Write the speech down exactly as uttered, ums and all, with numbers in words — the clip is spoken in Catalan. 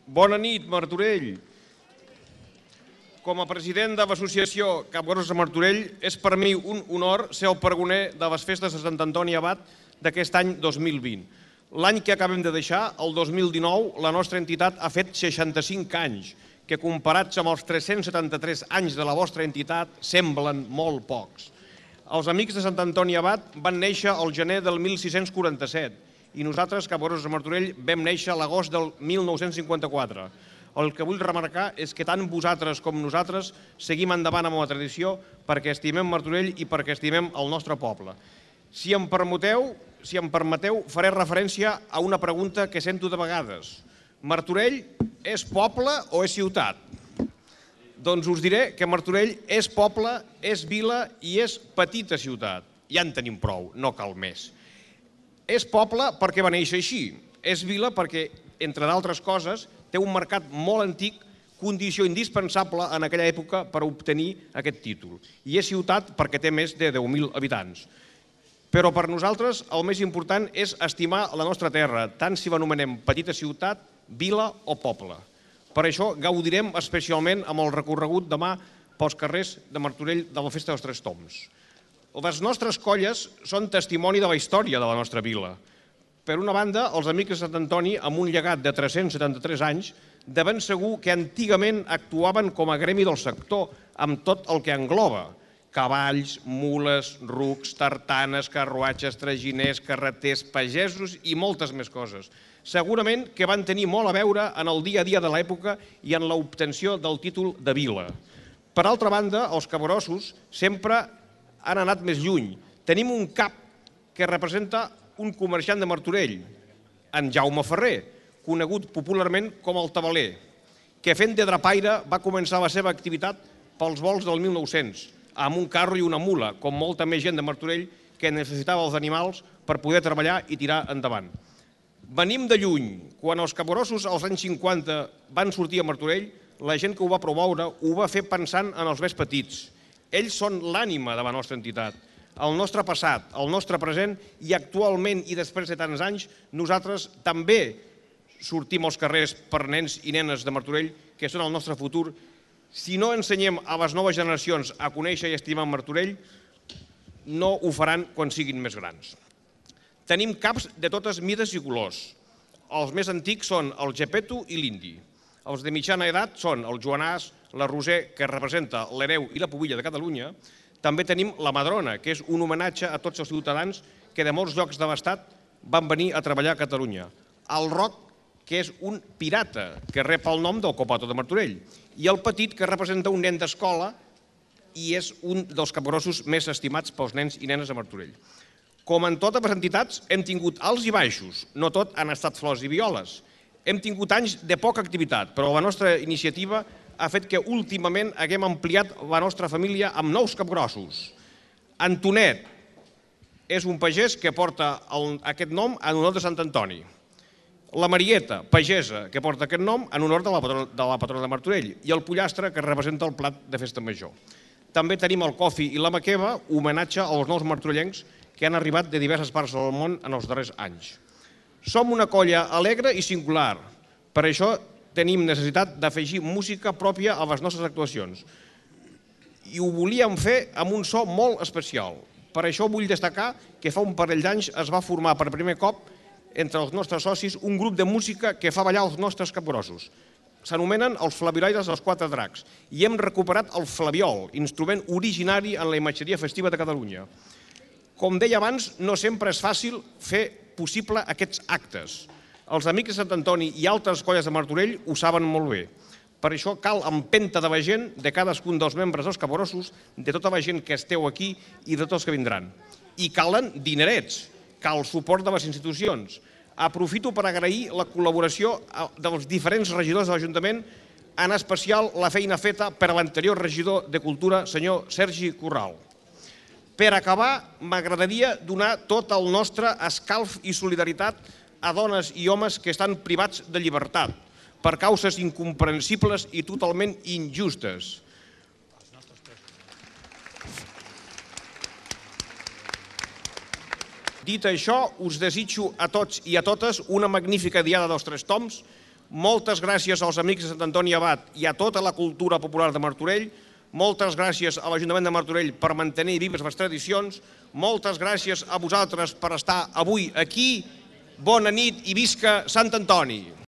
Bona nit, Martorell. Com a president de l'associació Capgrossos de Martorell, és per mi un honor ser el pregoner de les festes de Sant Antoni Abat d'aquest any dos mil vint. L'any que acabem de deixar, el dos mil dinou, la nostra entitat ha fet seixanta-cinc anys, que comparats amb els tres-cents setanta-tres anys de la vostra entitat semblen molt pocs. Els amics de Sant Antoni Abat van néixer al gener del mil sis-cents quaranta-set i nosaltres, Capgrossos de Martorell, vam néixer a l'agost del mil nou-cents cinquanta-quatre. El que vull remarcar és que tant vosaltres com nosaltres seguim endavant amb la tradició perquè estimem Martorell i perquè estimem el nostre poble. Si em permeteu, si em permeteu, faré referència a una pregunta que sento de vegades. Martorell és poble o és ciutat? Doncs us diré que Martorell és poble, és vila i és petita ciutat. Ja en tenim prou, no cal més. És poble perquè va néixer així. És vila perquè, entre d'altres coses, té un mercat molt antic, condició indispensable en aquella època per obtenir aquest títol. I és ciutat perquè té més de deu mil habitants. Però per nosaltres el més important és estimar la nostra terra, tant si l'anomenem petita ciutat, vila o poble. Per això gaudirem especialment amb el recorregut demà pels carrers de Martorell de la Festa dels Tres Tombs. Les nostres colles són testimoni de la història de la nostra vila. Per una banda, els amics de Sant Antoni, amb un llegat de tres-cents setanta-tres anys, de ben segur que antigament actuaven com a gremi del sector, amb tot el que engloba. Cavalls, mules, rucs, tartanes, carruatges, traginers, carreters, pagesos i moltes més coses. Segurament que van tenir molt a veure en el dia a dia de l'època i en l'obtenció del títol de vila. Per altra banda, els capgrossos sempre han anat més lluny. Tenim un cap que representa un comerciant de Martorell, en Jaume Ferrer, conegut popularment com el Tabaler, que fent de drapaire va començar la seva activitat pels vols del mil nou-cents, amb un carro i una mula, com molta més gent de Martorell que necessitava els animals per poder treballar i tirar endavant. Venim de lluny. Quan els capgrossos als anys cinquanta van sortir a Martorell, la gent que ho va promoure ho va fer pensant en els més petits. Ells són l'ànima de la nostra entitat, el nostre passat, el nostre present i actualment i després de tants anys nosaltres també sortim als carrers per nens i nenes de Martorell que són el nostre futur. Si no ensenyem a les noves generacions a conèixer i estimar Martorell, no ho faran quan siguin més grans. Tenim caps de totes mides i colors. Els més antics són el Gepeto i l'Indi. Els de mitjana edat són el Joanàs, la Roser, que representa l'hereu i la pubilla de Catalunya. També tenim la Madrona, que és un homenatge a tots els ciutadans que de molts llocs de l'Estat van venir a treballar a Catalunya. El Roc, que és un pirata, que rep el nom del Copato de Martorell. I el Petit, que representa un nen d'escola i és un dels capgrossos més estimats pels nens i nenes de Martorell. Com en totes les entitats, hem tingut alts i baixos, no tot han estat flors i violes. Hem tingut anys de poca activitat, però la nostra iniciativa ha fet que últimament haguem ampliat la nostra família amb nous capgrossos. Antonet és un pagès que porta aquest nom en honor de Sant Antoni. La Marieta, pagesa, que porta aquest nom en honor de la patrona de Martorell. I el Pollastre, que representa el plat de festa major. També tenim el Cofi i la Maqueva, homenatge als nous martorellencs que han arribat de diverses parts del món en els darrers anys. Som una colla alegre i singular. Per això tenim necessitat d'afegir música pròpia a les nostres actuacions. I ho volíem fer amb un so molt especial. Per això vull destacar que fa un parell d'anys es va formar per primer cop entre els nostres socis un grup de música que fa ballar els nostres capgrossos. S'anomenen els Flaviolaires dels Quatre Dracs i hem recuperat el flabiol, instrument originari en la imatgeria festiva de Catalunya. Com deia abans, no sempre és fàcil fer possible aquests actes. Els amics de Sant Antoni i altres colles de Martorell ho saben molt bé. Per això cal empenta de la gent, de cadascun dels membres dels capgrossos, de tota la gent que esteu aquí i de tots els que vindran. I calen dinerets, cal suport de les institucions. Aprofito per agrair la col·laboració dels diferents regidors de l'Ajuntament, en especial la feina feta per l'anterior regidor de Cultura, senyor Sergi Corral. Per acabar, m'agradaria donar tot el nostre escalf i solidaritat a dones i homes que estan privats de llibertat per causes incomprensibles i totalment injustes. Dit això, us desitjo a tots i a totes una magnífica diada dels Tres Tombs. Moltes gràcies als amics de Sant Antoni Abat i a tota la cultura popular de Martorell. Moltes gràcies a l'Ajuntament de Martorell per mantenir vives les tradicions. Moltes gràcies a vosaltres per estar avui aquí. Bona nit i visca Sant Antoni!